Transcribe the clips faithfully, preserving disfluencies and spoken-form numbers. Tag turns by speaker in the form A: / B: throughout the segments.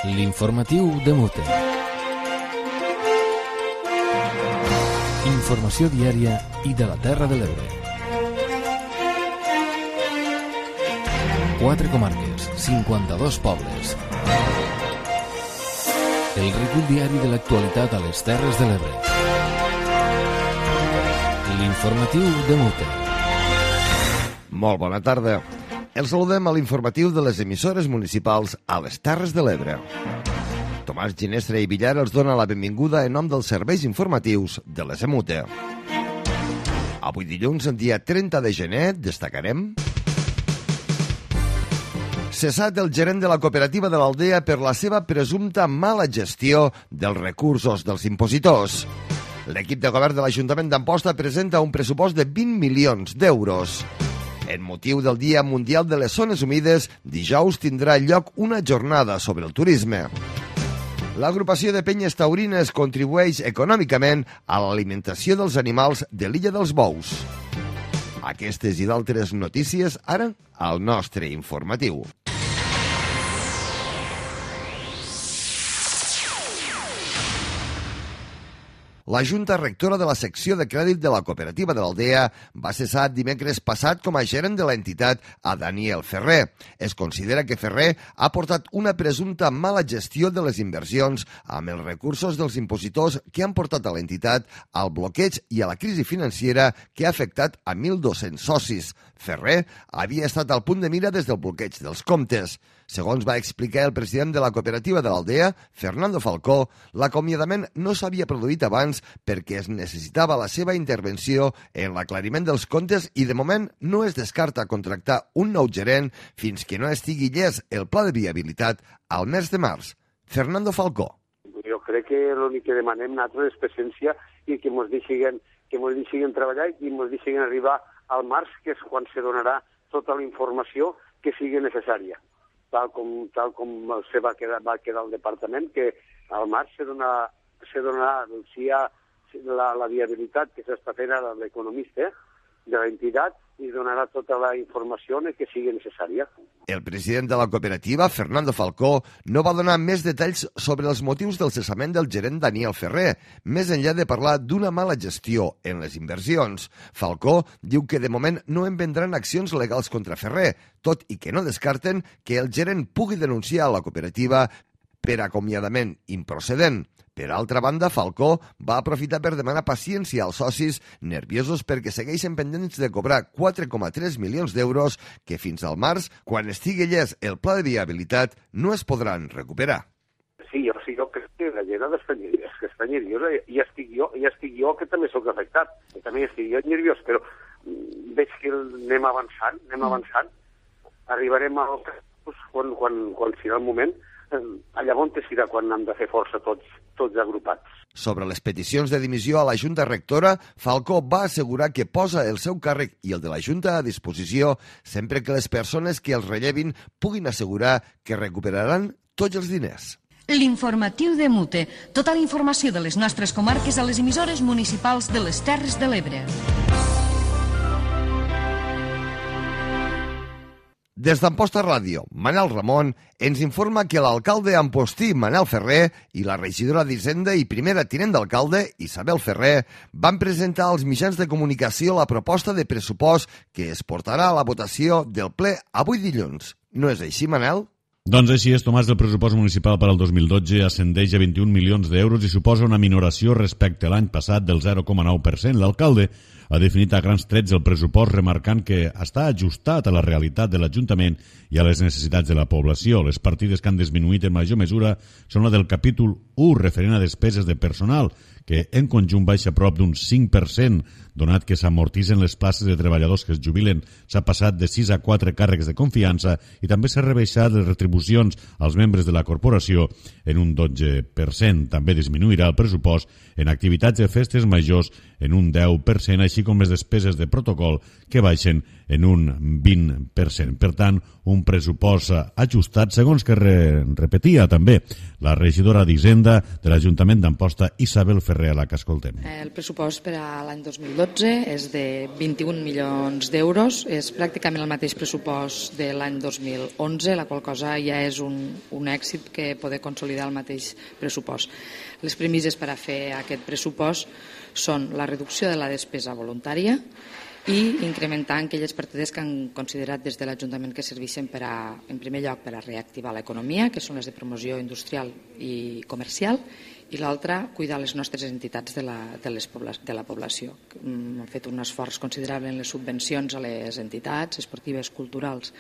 A: L'informatiu de Mute. Informació diària i de la Terra de l'Ebre. Quatre comarques, cinquanta-dos pobles. El recull diari de l'actualitat a les Terres de l'Ebre. L'informatiu de Mute.
B: Molt bona tarda. Els saludem a l'informatiu de les emissores municipals a les Terres de l'Ebre. Tomàs Ginestra i Villar els dona la benvinguda en nom dels serveis informatius de les Emute. Avui dilluns, dia trenta de gener, destacarem... Cessat el gerent de la cooperativa de l'Aldea per la seva presumpta mala gestió dels recursos dels impositors. L'equip de govern de l'Ajuntament d'Amposta presenta un pressupost de vint milions d'euros. En motiu del Dia Mundial de les Zones Humides, dijous tindrà lloc una jornada sobre el turisme. L'agrupació de penyes taurines contribueix econòmicament a l'alimentació dels animals de l'Illa dels Bous. Aquestes i d'altres notícies ara al nostre informatiu. La Junta Rectora de la secció de crèdit de la cooperativa de l'Aldea va cessar dimecres passat com a gerent de l'entitat a Daniel Ferrer. Es considera que Ferrer ha portat una presumpta mala gestió de les inversions amb els recursos dels impositors que han portat a l'entitat al bloqueig i a la crisi financera que ha afectat a mil dos-cents socis. Ferrer havia estat al punt de mira des del bloqueig dels comptes. Segons va explicar el president de la cooperativa de l'Aldea, Fernando Falcó, l'acomiadament no s'havia produït abans perquè es necessitava la seva intervenció en l'aclariment dels comptes i de moment no es descarta contractar un nou gerent fins que no estigui llest el pla de viabilitat al mes de març. Fernando Falcó.
C: Jo crec que l'únic que demanem nosaltres és presència i que ens deixin, que ens deixin treballar i ens deixin arribar al març, que és quan se donarà tota la informació que sigui necessària. Tal com, tal com se va quedar, va quedar el departament, que al març se donarà, se donarà si hi ha la, la viabilitat que s'està fent ara l'economista de l'entitat i donarà tota la informació que sigui necessària.
B: El president de la cooperativa, Fernando Falcó, no va donar més detalls sobre els motius del cessament del gerent Daniel Ferrer, més enllà de parlar d'una mala gestió en les inversions. Falcó diu que de moment no en vendran accions legals contra Ferrer, tot i que no descarten que el gerent pugui denunciar a la cooperativa per acomiadament improcedent. Per altra banda, Falcó va aprofitar per demanar paciència als socis nerviosos perquè segueixen pendents de cobrar quatre coma tres milions d'euros que fins al març, quan estigui llest el pla de viabilitat, no es podran recuperar.
C: Sí, jo, sí, jo crec que la gent està nerviosa i estic jo, i estic jo que també soc afectat, que també estic jo nerviós, però veig que anem avançant, anem avançant, arribarem al quan, quan, quan serà el moment, allà on serà quan hem de fer força tots, tots agrupats.
B: Sobre les peticions de dimissió a la Junta Rectora, Falcó va assegurar que posa el seu càrrec i el de la Junta a disposició sempre que les persones que els rellevin puguin assegurar que recuperaran tots els diners.
D: L'informatiu de Mute. Tota la informació de les nostres comarques a les emissores municipals de les Terres de l'Ebre.
B: Des d'Amposta Ràdio, Manel Ramon ens informa que l'alcalde ampostí Manel Ferrer i la regidora d'Hisenda i primera tinent d'alcalde Isabel Ferrer van presentar als mitjans de comunicació la proposta de pressupost que es portarà a la votació del ple avui dilluns. No és així, Manel?
E: Doncs així és, Tomàs. El pressupost municipal per al dos mil dotze ascendeix a vint-i-un milions d'euros i suposa una minoració respecte a l'any passat del zero coma nou per cent. L'alcalde ha definit a grans trets el pressupost remarcant que està ajustat a la realitat de l'Ajuntament i a les necessitats de la població. Les partides que han disminuït en major mesura són la del capítol u, referent a despeses de personal, que en conjunt baixa prop d'un cinc per cent, donat que s'amortitzen les places de treballadors que es jubilen. S'ha passat de sis a quatre càrrecs de confiança i també s'ha rebaixat les retribucions als membres de la corporació en un dotze per cent. També disminuirà el pressupost en activitats de festes majors en un deu per cent, així així com les despeses de protocol que baixen en un vint per cent. Per tant, un pressupost ajustat, segons que re, repetia també la regidora d'Hisenda de l'Ajuntament d'Amposta, Isabel Ferrer, a la que escoltem.
F: El pressupost per a l'any dos mil dotze és de vint-i-un milions d'euros, és pràcticament el mateix pressupost de l'any dos mil onze, la qual cosa ja és un, un èxit que poder consolidar el mateix pressupost. Les premisses per a fer aquest pressupost són la reducció de la despesa voluntària i incrementar aquelles partides que han considerat des de l'Ajuntament que serveixen per a, en primer lloc per a reactivar l'economia, que són les de promoció industrial i comercial, i l'altra, cuidar les nostres entitats de la, de, les pobla, de la població. Hem fet un esforç considerable en les subvencions a les entitats esportives, culturals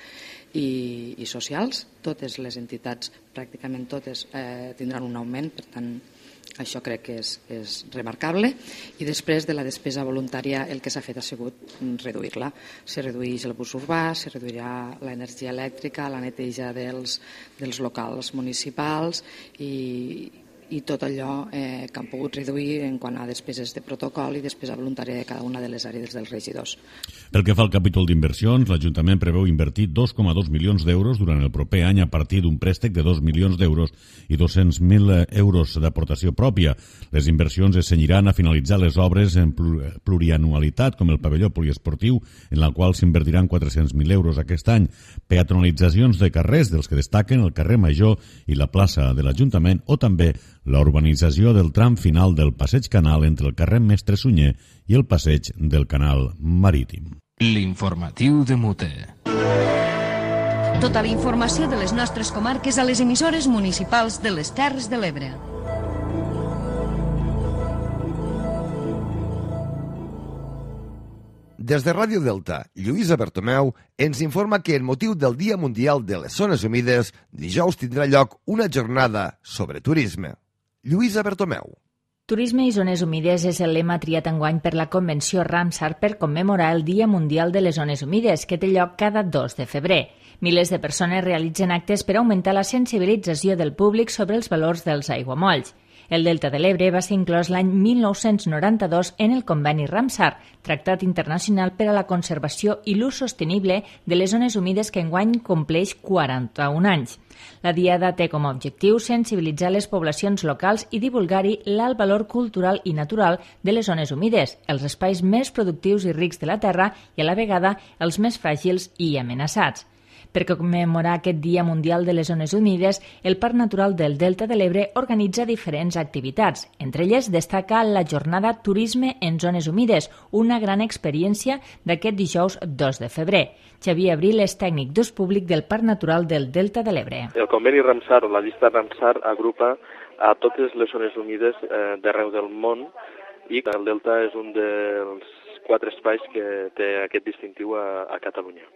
F: i, i socials. Totes les entitats, pràcticament totes, eh, tindran un augment, per tant, això crec que és, és remarcable. I després de la despesa voluntària el que s'ha fet ha sigut reduir-la. Se redueix el bus urbà, se reduirà l'energia elèctrica, la neteja dels, dels locals municipals i, i tot allò eh, que han pogut reduir en quant a despeses de protocol i despesa voluntària de cada una de les àrees dels regidors.
E: Pel que fa al capítol d'inversions, l'Ajuntament preveu invertir dos coma dos milions d'euros durant el proper any a partir d'un préstec de dos milions d'euros i dos-cents mil euros d'aportació pròpia. Les inversions es cenyiran a finalitzar les obres en plurianualitat, com el pavelló poliesportiu, en la qual s'invertiran quatre-cents mil euros aquest any, peatonalitzacions de carrers, dels que destaquen el carrer Major i la plaça de l'Ajuntament, o també la urbanització del tram final del Passeig Canal entre el carrer Mestre Sunyer i el Passeig del Canal Marítim.
A: L'informatiu de Mute.
D: Tota la informació de les nostres comarques a les emissores municipals de les Terres de l'Ebre.
B: Des de Ràdio Delta, Lluïsa Bertomeu ens informa que en motiu del Dia Mundial de les Zones Humides, dijous tindrà lloc una jornada sobre turisme. Lluïsa Bertomeu.
G: Turisme i zones humides és el lema triat enguany per la Convenció Ramsar per commemorar el Dia Mundial de les Zones Humides, que té lloc cada dos de febrer. Milers de persones realitzen actes per augmentar la sensibilització del públic sobre els valors dels aiguamolls. El Delta de l'Ebre va ser inclòs l'any mil nou-cents noranta-dos en el conveni Ramsar, tractat internacional per a la conservació i l'ús sostenible de les zones humides que enguany compleix quaranta-un anys. La Diada té com a objectiu sensibilitzar les poblacions locals i divulgar-hi l'alt valor cultural i natural de les zones humides, els espais més productius i rics de la terra i a la vegada els més fràgils i amenaçats. Per commemorar aquest Dia Mundial de les Zones Humides, el Parc Natural del Delta de l'Ebre organitza diferents activitats. Entre elles destaca la jornada Turisme en Zones Humides, una gran experiència d'aquest dijous dos de febrer. Xavier Abril és tècnic d'ús públic del Parc Natural del Delta de l'Ebre.
H: El conveni Ramsar o la llista Ramsar agrupa a totes les zones humides eh, d'arreu del món i el Delta és un dels quatre espais que té aquest distintiu a, a Catalunya.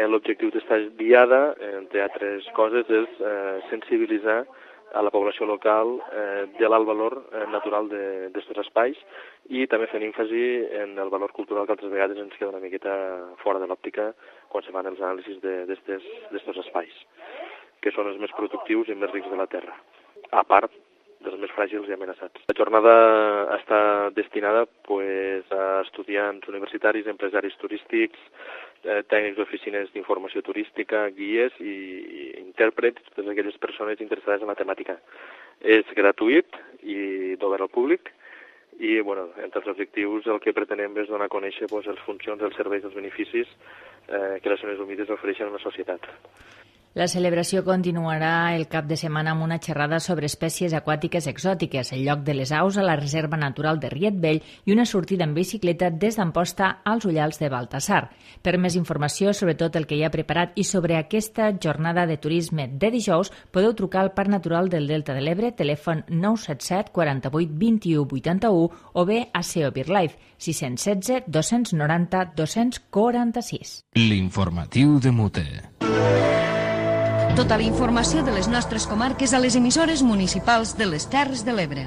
H: L'objectiu d'esta diada, entre altres coses, és eh, sensibilitzar a la població local eh, de l'alt valor eh, natural d'aquests espais i també fent èmfasi en el valor cultural que altres vegades ens queda una miqueta fora de l'òptica quan se fan els anàlisis d'aquests espais, que són els més productius i més rics de la terra, a part dels més fràgils i amenaçats. La jornada està destinada pues, a estudiants universitaris, empresaris turístics, eh, tècnics d'oficines d'informació turística, guies i, i intèrprets, totes aquelles persones interessades en la temàtica. És gratuït i d'obert al públic i, bueno, entre els objectius el que pretenem és donar a conèixer pues, les funcions, els serveis, els beneficis eh, que les zones humides ofereixen a la societat.
G: La celebració continuarà el cap de setmana amb una xerrada sobre espècies aquàtiques exòtiques, el lloc de les aus a la Reserva Natural de Riet Vell i una sortida en bicicleta des d'Amposta als Ullals de Baltasar. Per més informació sobre tot el que hi ha preparat i sobre aquesta jornada de turisme de dijous, podeu trucar al Parc Natural del Delta de l'Ebre, telèfon nou set set quaranta-vuit vint-i-u vuitanta-u o bé a S E O BirdLife, sis un setze dos noranta dos quaranta-sis.
A: L'informatiu de Mute.
D: Tota la informació de les nostres comarques a les emissores municipals de les Terres de l'Ebre.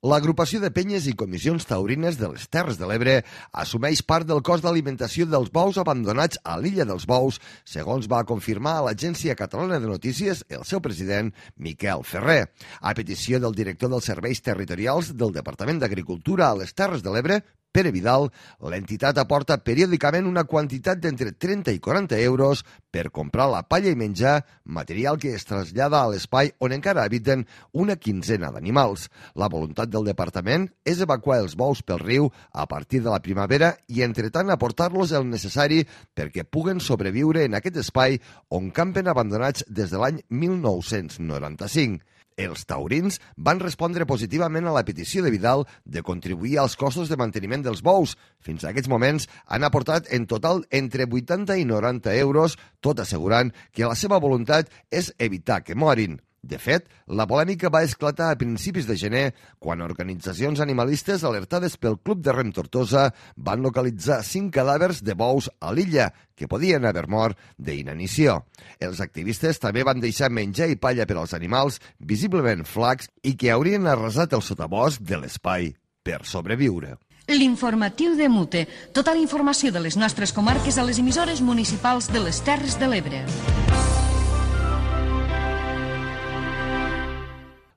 B: L'agrupació de penyes i comissions taurines de les Terres de l'Ebre assumeix part del cost d'alimentació dels bous abandonats a l'Illa dels Bous, segons va confirmar a l'Agència Catalana de Notícies el seu president, Miquel Ferrer. A petició del director dels serveis territorials del Departament d'Agricultura a les Terres de l'Ebre, Pere Vidal, l'entitat aporta periòdicament una quantitat d'entre trenta i quaranta euros per comprar la palla i menjar, material que es trasllada a l'espai on encara habiten una quinzena d'animals. La voluntat del departament és evacuar els bous pel riu a partir de la primavera i, entretant, aportar-los el necessari perquè puguen sobreviure en aquest espai on campen abandonats des de l'any mil nou-cents noranta-cinc. Els taurins van respondre positivament a la petició de Vidal de contribuir als costos de manteniment dels bous. Fins a aquests moments han aportat en total entre vuitanta i noranta euros, tot assegurant que la seva voluntat és evitar que morin. De fet, la polèmica va esclatar a principis de gener quan organitzacions animalistes alertades pel Club de Rem Tortosa van localitzar cinc cadàvers de bous a l'illa que podien haver mort d'inanició. Els activistes també van deixar menjar i palla per als animals visiblement flacs i que haurien arrasat el sotabosc de l'espai per sobreviure.
D: L'informatiu de Mute. Tota la informació de les nostres comarques a les emissores municipals de les Terres de l'Ebre.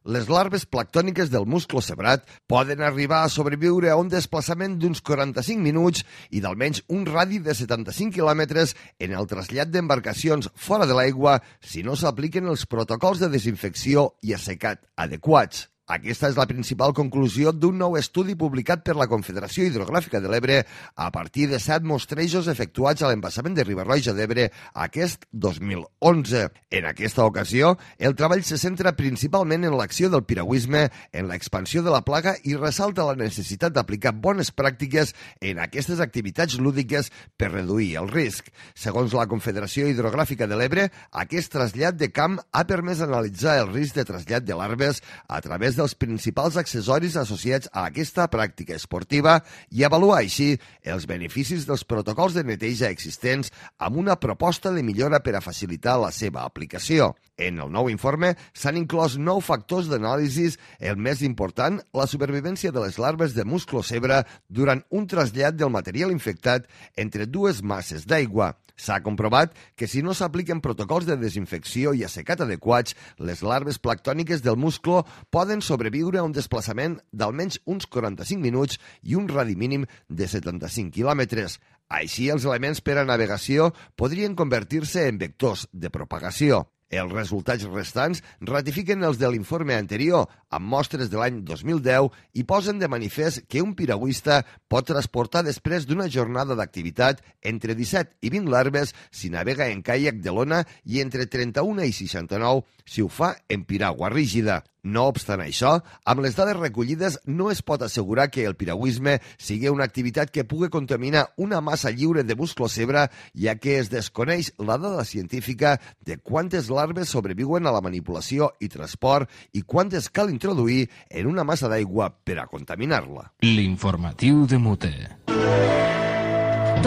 B: Les larves planctòniques del musclo cebrat poden arribar a sobreviure a un desplaçament d'uns quaranta-cinc minuts i d'almenys un radi de setanta-cinc quilòmetres en el trasllat d'embarcacions fora de l'aigua si no s'apliquen els protocols de desinfecció i assecat adequats. Aquesta és la principal conclusió d'un nou estudi publicat per la Confederació Hidrogràfica de l'Ebre a partir de set mostrejos efectuats a l'embassament de Riba-roja d'Ebre aquest dos mil onze. En aquesta ocasió, el treball se centra principalment en l'acció del piragüisme, en l'expansió de la plaga i ressalta la necessitat d'aplicar bones pràctiques en aquestes activitats lúdiques per reduir el risc. Segons la Confederació Hidrogràfica de l'Ebre, aquest trasllat de camp ha permès analitzar el risc de trasllat de larves a través dels principals accessoris associats a aquesta pràctica esportiva i avaluar així els beneficis dels protocols de neteja existents amb una proposta de millora per a facilitar la seva aplicació. En el nou informe s'han inclòs nou factors d'anàlisi, el més important, la supervivència de les larves de musclo cebre durant un trasllat del material infectat entre dues masses d'aigua. S'ha comprovat que si no s'apliquen protocols de desinfecció i assecat adequats, les larves planctòniques del musclo poden sobreviure a un desplaçament d'almenys uns quaranta-cinc minuts i un radi mínim de setanta-cinc quilòmetres. Així, els elements per a navegació podrien convertir-se en vectors de propagació. Els resultats restants ratifiquen els de l'informe anterior, amb mostres de l'any dos mil deu, i posen de manifest que un piragüista pot transportar després d'una jornada d'activitat entre disset i vint larves si navega en caiac de lona i entre trenta-una i seixanta-nou si ho fa en piragua rígida. No obstant això, amb les dades recollides no es pot assegurar que el piragüisme sigui una activitat que pugui contaminar una massa lliure de musclo cebre, ja que es desconeix la dada científica de quantes larves sobreviuen a la manipulació i transport i quantes cal introduir en una massa d'aigua per a contaminar-la.
A: L'informatiu de Mute.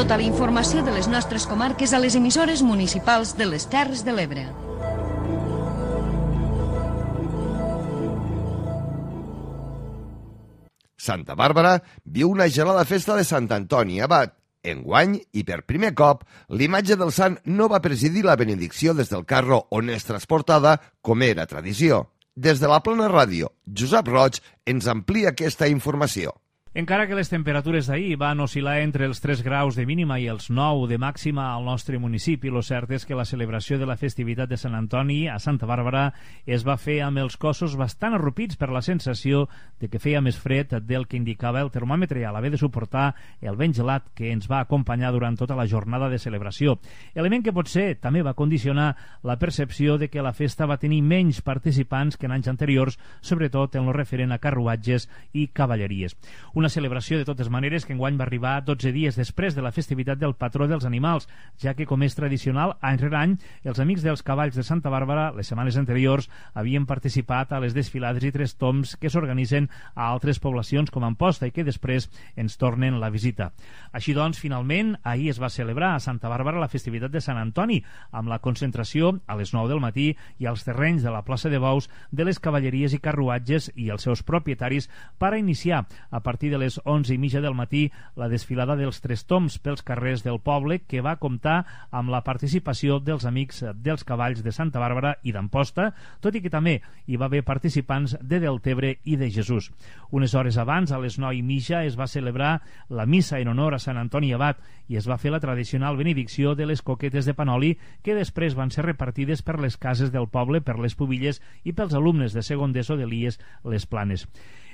D: Tota la informació de les nostres comarques a les emissores municipals de les Terres de l'Ebre.
B: Santa Bàrbara viu una gelada festa de Sant Antoni Abat. Enguany, i per primer cop, l'imatge del sant no va presidir la benedicció des del carro on és transportada, com era tradició. Des de la Plana Ràdio, Josep Roig ens amplia aquesta informació.
I: Encara que les temperatures d'ahir van oscil·lar entre els tres graus de mínima i els nou de màxima al nostre municipi, lo cert és que la celebració de la festivitat de Sant Antoni a Santa Bàrbara es va fer amb els cossos bastant arrupits per la sensació de que feia més fred del que indicava el termòmetre a l'haver de suportar el vent gelat que ens va acompanyar durant tota la jornada de celebració. Element que potser també va condicionar la percepció de que la festa va tenir menys participants que en anys anteriors, sobretot en lo referent a carruatges i cavalleries. Una celebració, de totes maneres, que enguany va arribar dotze dies després de la festivitat del patró dels animals, ja que, com és tradicional, any rere any, els amics dels cavalls de Santa Bàrbara, les setmanes anteriors, havien participat a les desfilades i tres tombs que s'organitzen a altres poblacions com Amposta i que després ens tornen la visita. Així doncs, finalment, ahir es va celebrar a Santa Bàrbara la festivitat de Sant Antoni, amb la concentració a les nou del matí i als terrenys de la plaça de Bous de les cavalleries i carruatges i els seus propietaris per a iniciar, a partir de les onze i mitja del matí, la desfilada dels tres tombs pels carrers del poble, que va comptar amb la participació dels amics dels cavalls de Santa Bàrbara i d'Amposta, tot i que també hi va haver participants de Deltebre i de Jesús. Unes hores abans, a les nou i mitja, es va celebrar la missa en honor a Sant Antoni Abat i es va fer la tradicional benedicció de les coquetes de Panoli, que després van ser repartides per les cases del poble, per les pubilles i pels alumnes de segon d'ESO d'Elies Les Planes.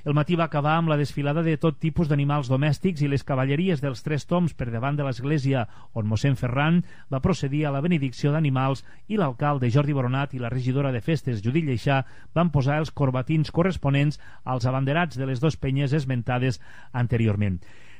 I: El matí va acabar amb la desfilada de tot tipus d'animals domèstics i les cavalleries dels tres tombs per davant de l'església, on mossèn Ferran va procedir a la benedicció d'animals i l'alcalde Jordi Boronat i la regidora de festes Judit Lleixà van posar els corbatins corresponents als abanderats de les dues penyes esmentades anteriorment.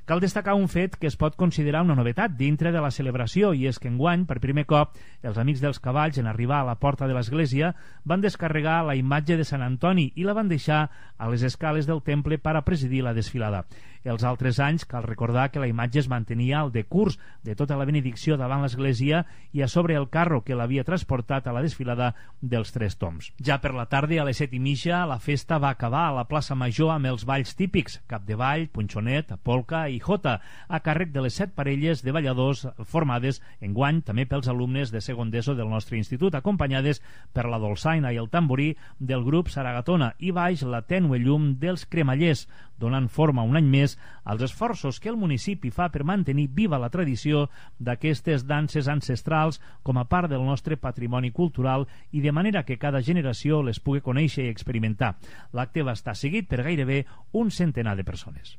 I: Cal destacar un fet que es pot considerar una novetat dintre de la celebració, i és que enguany, per primer cop, els amics dels cavalls, en arribar a la porta de l'església, van descarregar la imatge de Sant Antoni i la van deixar a les escales del temple per a presidir la desfilada. Els altres anys, cal recordar que la imatge es mantenia al decurs de tota la benedicció davant l'església i a sobre el carro que l'havia transportat a la desfilada dels tres tombs. Ja per la tarda, a les set i mitja, la festa va acabar a la plaça Major amb els balls típics, cap de ball, punxonet, polca i jota, a càrrec de les set parelles de balladors formades enguany també pels alumnes de segon d'ESO del nostre institut, acompanyades per la dolçaina i el tamborí del grup Saragatona i baix la tènue llum dels cremallers, donant forma un any més als esforços que el municipi fa per mantenir viva la tradició d'aquestes danses ancestrals com a part del nostre patrimoni cultural i de manera que cada generació les pugui conèixer i experimentar. L'acte va estar seguit per gairebé un centenar de persones.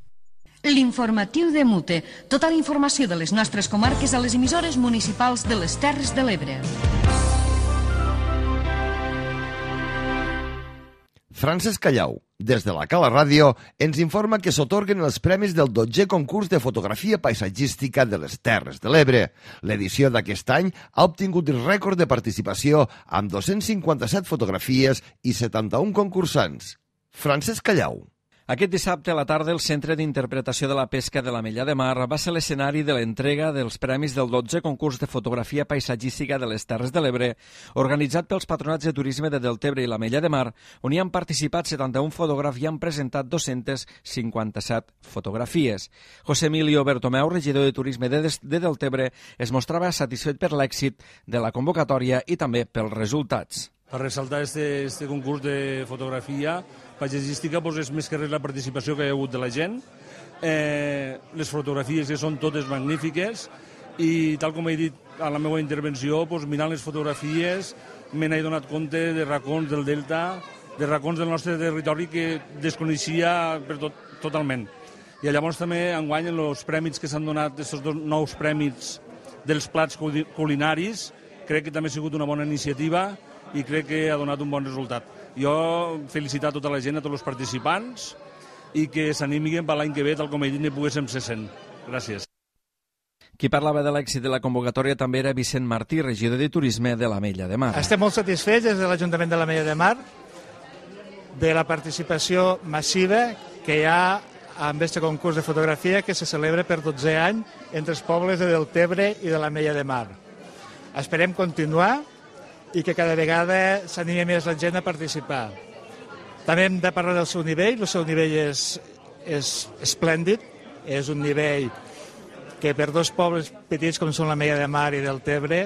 D: L'informatiu de Mute. Tota la informació de les nostres comarques a les emissores municipals de les Terres de l'Ebre.
B: Francesc Callau, des de la Cala Ràdio, ens informa que s'atorguen els premis del dotzè concurs de fotografia paisatgística de les Terres de l'Ebre. L'edició d'aquest any ha obtingut el rècord de participació amb dos-cents cinquanta-set fotografies i setanta-un concursants. Francesc Callau.
J: Aquest dissabte a la tarda el Centre d'Interpretació de la Pesca de l'Ametlla de Mar va ser l'escenari de l'entrega dels premis del dotzè concurs de fotografia paisatgística de les Terres de l'Ebre, organitzat pels patronats de turisme de Deltebre i l'Ametlla de Mar, on hi han participat setanta-un fotògrafs i han presentat dos-cents cinquanta-set fotografies. José Emilio Bertomeu, regidor de turisme de, de Deltebre, es mostrava satisfet per l'èxit de la convocatòria i també pels resultats.
K: Per ressaltar este, este concurs de fotografia paisatgística doncs és més que res la participació que hi ha hagut de la gent. Eh, les fotografies que són totes magnífiques i tal com he dit a la meva intervenció, doncs, mirant les fotografies me n'he donat compte de racons del Delta, de racons del nostre territori que desconeixia per tot, totalment. I llavors també enguany en els prèmits que s'han donat, aquests dos nous prèmits dels plats culinaris, crec que també ha sigut una bona iniciativa i crec que ha donat un bon resultat. Jo felicitar tota la gent, a tots els participants, i que s'animin per l'any que ve, tal com he dit, ne poguéssim ser cent. Gràcies.
J: Qui parlava de l'èxit de la convocatòria també era Vicent Martí, regidor de Turisme de l'Ametlla de Mar.
L: Estem molt satisfets des de l'Ajuntament de l'Ametlla de Mar de la participació massiva que hi ha amb aquest concurs de fotografia que se celebra per dotzè any entre els pobles de Deltebre i de l'Ametlla de Mar. Esperem continuar i que cada vegada s'animi més la gent a participar. També hem de parlar del seu nivell. El seu nivell és, és esplèndid, és un nivell que per dos pobles petits com són l'Ametlla de Mar i Deltebre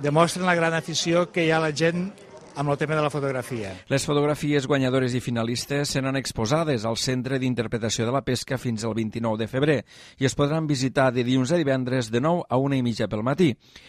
L: demostren la gran afició que hi ha a la gent amb el tema de la fotografia.
J: Les fotografies guanyadores i finalistes seran exposades al Centre d'Interpretació de la Pesca fins al vint-i-nou de febrer i es podran visitar de dilluns a divendres de nou a una i mitja pel matí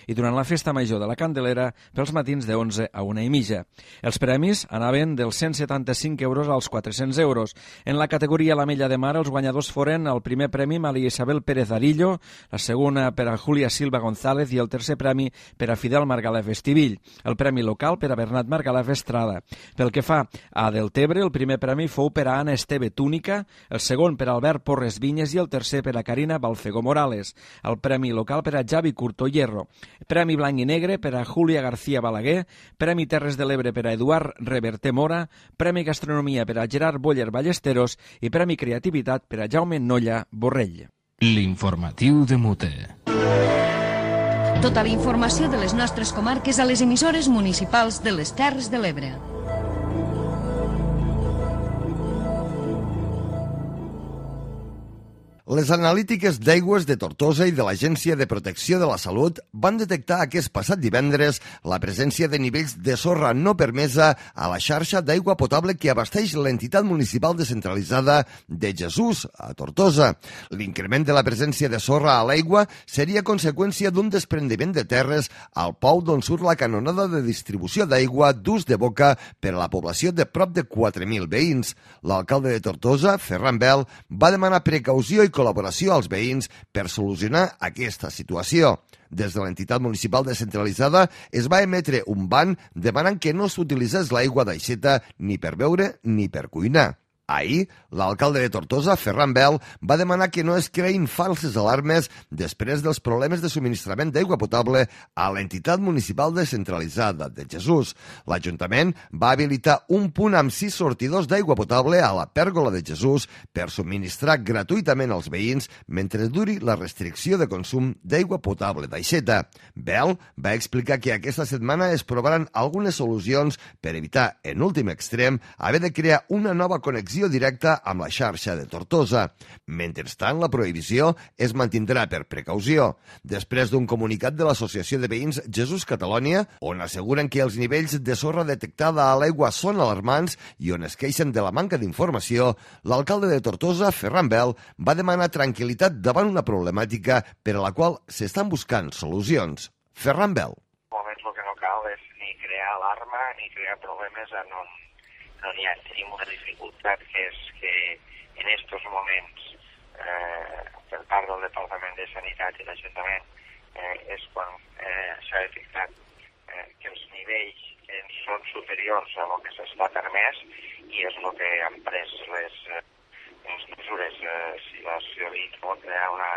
J: i durant la Festa Major de la Candelera pels matins de onze a una i mitja. Els premis anaven dels cent setanta-cinc euros als quatre-cents euros. En la categoria l'Ametlla de Mar els guanyadors foren el primer premi Maria Isabel Pérez Arillo, la segona per a Júlia Silva González i el tercer premi per a Fidel Margalef Estivill. El premi local per a Bernat Margalef Estrada. Pel que fa a Deltebre, el primer premi fou per a Anna Esteve Túnica, el segon per a Albert Porres Vinyes i el tercer per a Carina Balfegó Morales. El premi local per a Javi Curto Hierro. Premi Blanc i Negre per a Júlia García Balaguer. Premi Terres de l'Ebre per a Eduard Reverter Mora. Premi Gastronomia per a Gerard Boller Ballesteros i Premi Creativitat per a Jaume Nolla Borrell.
A: L'informatiu de Mute.
D: Tota la informació de les nostres comarques a les emissores municipals de les Terres de l'Ebre.
B: Les analítiques d'aigües de Tortosa i de l'Agència de Protecció de la Salut van detectar aquest passat divendres la presència de nivells de sorra no permesa a la xarxa d'aigua potable que abasteix l'entitat municipal descentralitzada de Jesús, a Tortosa. L'increment de la presència de sorra a l'aigua seria conseqüència d'un desprendiment de terres al pou d'on surt la canonada de distribució d'aigua d'ús de boca per a la població de prop de quatre mil veïns. L'alcalde de Tortosa, Ferran Bel, va demanar precaució i col·laboració als veïns per solucionar aquesta situació. Des de l'entitat municipal descentralitzada es va emetre un ban demanant que no s'utilitzés l'aigua d'aixeta ni per beure ni per cuinar. Ahir, l'alcalde de Tortosa, Ferran Bel, va demanar que no es creïn falses alarmes després dels problemes de subministrament d'aigua potable a l'entitat municipal descentralitzada de Jesús. L'Ajuntament va habilitar un punt amb sis sortidors d'aigua potable a la pèrgola de Jesús per subministrar gratuïtament als veïns mentre duri la restricció de consum d'aigua potable d'aixeta. Bel va explicar que aquesta setmana es provaran algunes solucions per evitar, en últim extrem, haver de crear una nova connexió directa amb la xarxa de Tortosa. Mentrestant, la prohibició es mantindrà per precaució. Després d'un comunicat de l'Associació de Veïns Jesús Catalònia, on asseguren que els nivells de sorra detectada a l'aigua són alarmants i on es queixen de la manca d'informació, l'alcalde de Tortosa, Ferran Bel, va demanar tranquil·litat davant una problemàtica per a la qual s'estan buscant solucions. Ferran Bel.
M: En moments el que no cal és ni crear alarma ni crear problemes en on no n'hi ha. Tenim una dificultat que és que en aquests moments eh, per part del Departament de Sanitat i l'Ajuntament eh, és quan eh, s'ha detectat eh, que els nivells eh, són superiors a el que s'està permès i és el que han pres les, eh, les mesures. Eh, si la ciutadania pot crear una,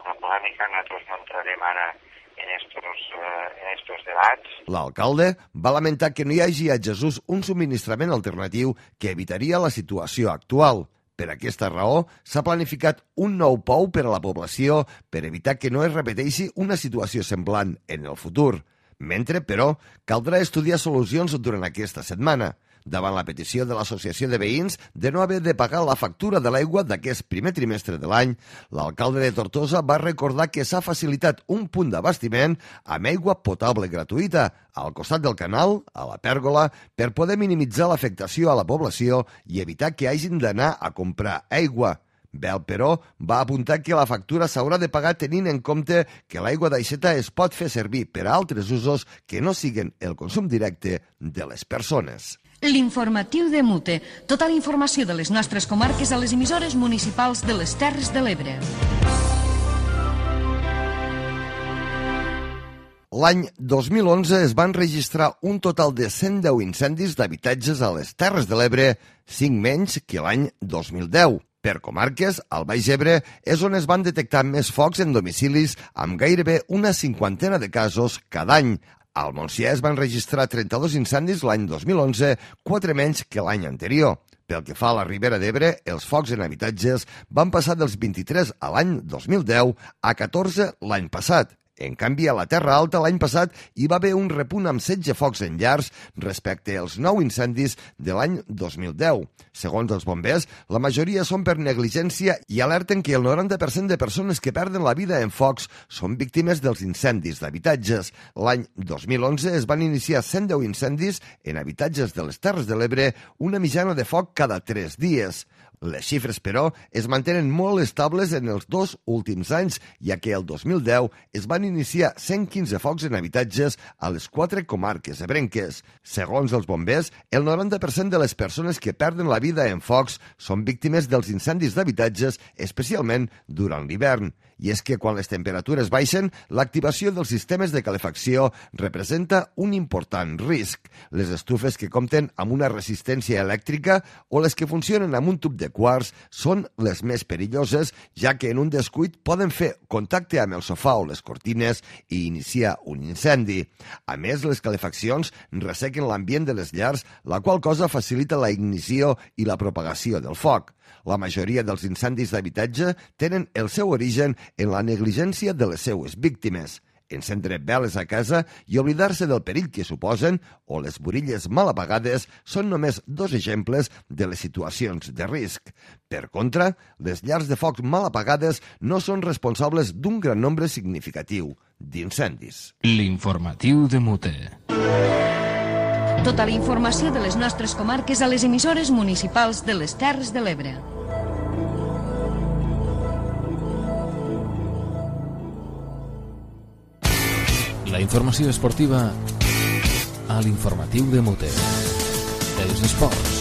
M: una polèmica, nosaltres no entrarem ara en estos, uh, en estos debats.
B: L'alcalde va lamentar que no hi hagi a Jesús un subministrament alternatiu que evitaria la situació actual. Per aquesta raó, s'ha planificat un nou pou per a la població per evitar que no es repeteixi una situació semblant en el futur. Mentre, però, caldrà estudiar solucions durant aquesta setmana. Davant la petició de l'Associació de Veïns de no haver de pagar la factura de l'aigua d'aquest primer trimestre de l'any, l'alcalde de Tortosa va recordar que s'ha facilitat un punt d'abastiment amb aigua potable gratuïta al costat del canal, a la pèrgola, per poder minimitzar l'afectació a la població i evitar que hagin d'anar a comprar aigua. Bel, però, va apuntar que la factura s'haurà de pagar tenint en compte que l'aigua d'aixeta es pot fer servir per a altres usos que no siguen el consum directe de les persones.
D: L'informatiu de Mute. Tota la informació de les nostres comarques a les emissores municipals de les Terres de l'Ebre.
B: L'any dos mil onze es van registrar un total de cent deu incendis d'habitatges a les Terres de l'Ebre, cinc menys que l'any dos mil deu. Per comarques, al Baix Ebre és on es van detectar més focs en domicilis amb gairebé una cinquantena de casos cada any. Al Montsià es van registrar trenta-dos incendis l'any dos mil onze, quatre menys que l'any anterior. Pel que fa a la Ribera d'Ebre, els focs en habitatges van passar dels vint-i-tres a l'any dos mil deu a catorze l'any passat. En canvi, a la Terra Alta l'any passat hi va haver un repunt amb setze focs en llars respecte als nou incendis de l'any dos mil deu. Segons els bombers, la majoria són per negligència i alerten que el noranta per cent de persones que perden la vida en focs són víctimes dels incendis d'habitatges. L'any dos mil onze es van iniciar cent deu incendis en habitatges de les Terres de l'Ebre, una mitjana de foc cada tres dies. Les xifres, però, es mantenen molt estables en els dos últims anys, ja que el dos mil deu es van iniciar cent quinze focs en habitatges a les quatre comarques ebrenques. Segons els bombers, el noranta per cent de les persones que perden la vida en focs són víctimes dels incendis d'habitatges, especialment durant l'hivern. i és que quan les temperatures baixen, l'activació dels sistemes de calefacció representa un important risc. Les estufes que compten amb una resistència elèctrica o les que funcionen amb un tub de quars són les més perilloses, ja que en un descuit poden fer contacte amb el sofà o les cortines i iniciar un incendi. A més, les calefaccions ressequen l'ambient de les llars, la qual cosa facilita la ignició i la propagació del foc. La majoria dels incendis d'habitatge tenen el seu origen en la negligència de les seues víctimes. Encendre veles a casa i oblidar-se del perill que suposen o les burilles mal apagades són només dos exemples de les situacions de risc. Per contra, les llars de foc mal apagades no són responsables d'un gran nombre significatiu d'incendis.
A: L'informatiu de Mute.
D: Tota la informació de les nostres comarques a les emissores municipals de les Terres de l'Ebre.
A: La informació esportiva a l'informatiu de Mute. Els esports.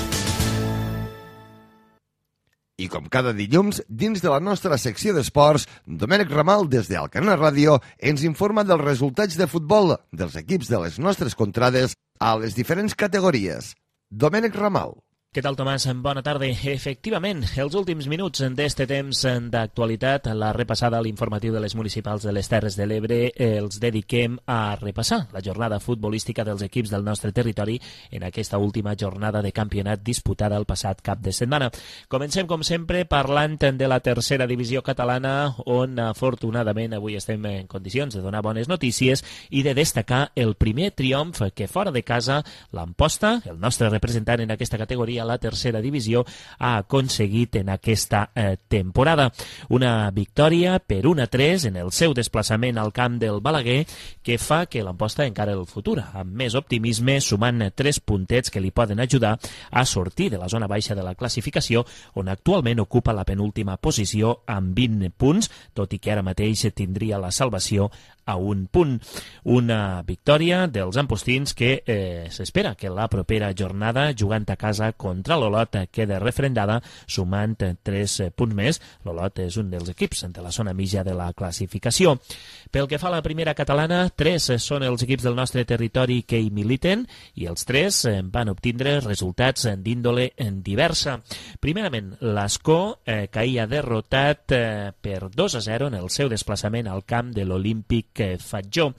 B: I com cada dilluns, dins de la nostra secció d'esports, Domènec Ramal, des d'Alcanar Ràdio, ens informa dels resultats de futbol dels equips de les nostres contrades a les diferents categories. Domènec Ramal.
N: Què tal, Tomàs? Bona tarda. Efectivament, els últims minuts d'este temps d'actualitat, la repassada a l'informatiu de les municipals de les Terres de l'Ebre, els dediquem a repassar la jornada futbolística dels equips del nostre territori en aquesta última jornada de campionat disputada el passat cap de setmana. Comencem, com sempre, parlant de la tercera divisió catalana, on afortunadament avui estem en condicions de donar bones notícies i de destacar el primer triomf que fora de casa l'Amposta, el nostre representant en aquesta categoria, la tercera divisió, ha aconseguit en aquesta eh, temporada. Una victòria per un a tres en el seu desplaçament al camp del Balaguer que fa que l'Amposta encara el futur amb més optimisme, sumant tres puntets que li poden ajudar a sortir de la zona baixa de la classificació, on actualment ocupa la penúltima posició amb vint punts, tot i que ara mateix tindria la salvació a un punt. Una victòria dels ampostins que eh, s'espera que la propera jornada, jugant a casa contra l'Olot, queda refrendada, sumant tres punts més. L'Olot és un dels equips de la zona mitja de la classificació. Pel que fa a la primera catalana, tres són els equips del nostre territori que hi militen i els tres van obtindre resultats d'índole diversa. Primerament, l'Escó, eh, que hi ha derrotat eh, per dos a zero en el seu desplaçament al camp de l'Olímpic Fatjó.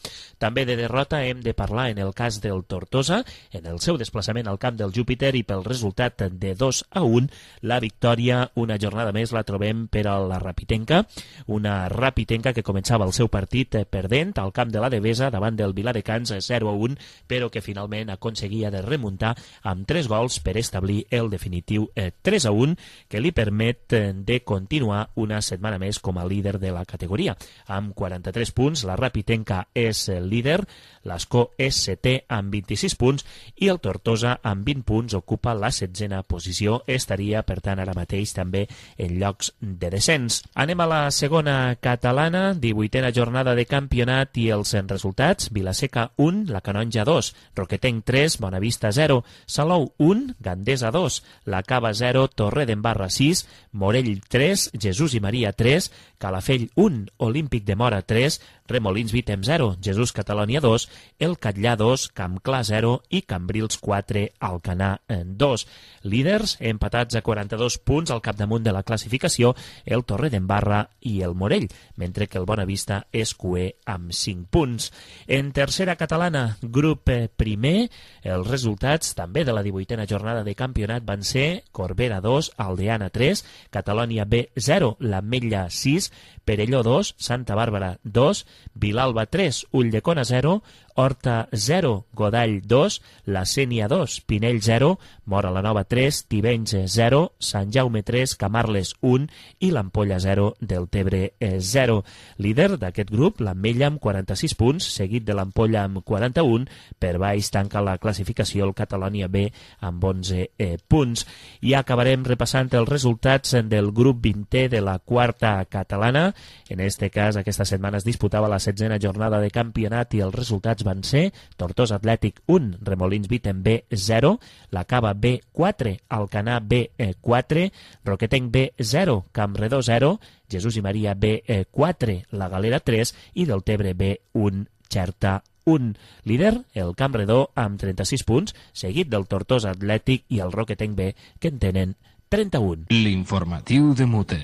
N: També de derrota hem de parlar en el cas del Tortosa, en el seu desplaçament al camp del Júpiter, i pel resultat de dos a un, la victòria una jornada més la trobem per a la Rapitenca, una Rapitenca que començava el seu partit perdent al camp de la Devesa davant del Viladecans zero a un, però que finalment aconseguia de remuntar amb tres gols per establir el definitiu tres a un, que li permet de continuar una setmana més com a líder de la categoria. Amb quaranta-tres punts, la Rapitenca és el líder, l'Escó és setè amb vint-i-sis punts i el Tortosa amb vint punts ocupa la setzena posició, estaria per tant ara mateix també en llocs de descens. Anem a la segona catalana, divuitena jornada de campionat i els resultats: Vilaseca un, la Canonja dos, Roquetenc tres, Bonavista zero, Salou un, Gandesa dos, la Cava zero, Torredembarra sis, Morell tres, Jesús i Maria tres, Calafell un, Olímpic de Mora tres, Remolins Vitem zero, Jesús Catalònia dos, El Catllà dos, Campclar zero i Cambrils quatre, Alcanar dos. Líders empatats a quaranta-dos punts al capdamunt de la classificació, el Torredembarra i el Morell, mentre que el Bonavista és cuer amb cinc punts. En tercera catalana, grup primer, els resultats també de la divuitena jornada de campionat van ser Corbera dos, Aldeana tres, Catalònia B zero, l'Ametlla sis, Perelló dos, Santa Bàrbara dos, Vilalba tres, Ulldecona zero, Horta zero, Godall dos, La Sénia dos, Pinell zero, Mora la Nova tres, Tivenys zero, Sant Jaume tres, Camarles un i l'Ampolla zero, Deltebre zero. Líder d'aquest grup, l'Ametlla amb quaranta-sis punts, seguit de l'Ampolla amb quaranta-un, per baix tanca la classificació el Catalònia B amb onze eh, punts. I acabarem repassant els resultats del grup vintè de la quarta catalana. En este cas, aquesta setmana es disputava la setzena jornada de campionat i els resultats van ser Tortosa Atlètic un, Remolins Viten B zero, la Cava B quatre, Alcanar B quatre, Roquetenc B zero, Campredó zero, Jesús i Maria B quatre, la Galera tres i Deltebre B un, Xerta un. Líder, el Campredó, amb trenta-sis punts, seguit del Tortosa Atlètic i el Roquetenc B, que en tenen trenta-un.
A: L'informatiu de Mute.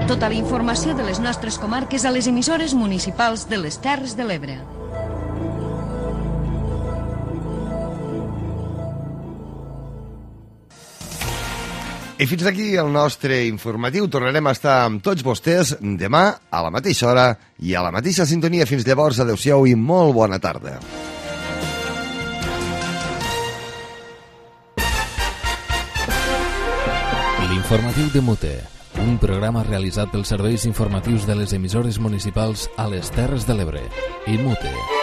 D: Tota la informació de les nostres comarques a les emissores municipals de les Terres de l'Ebre.
B: I fins aquí el nostre informatiu. Tornarem a estar amb tots vostès demà a la mateixa hora i a la mateixa sintonia. Fins llavors, adeu-siau i molt bona tarda.
A: L'informatiu de Mute, un programa realitzat pels serveis informatius de les emissores municipals a les Terres de l'Ebre i Mute.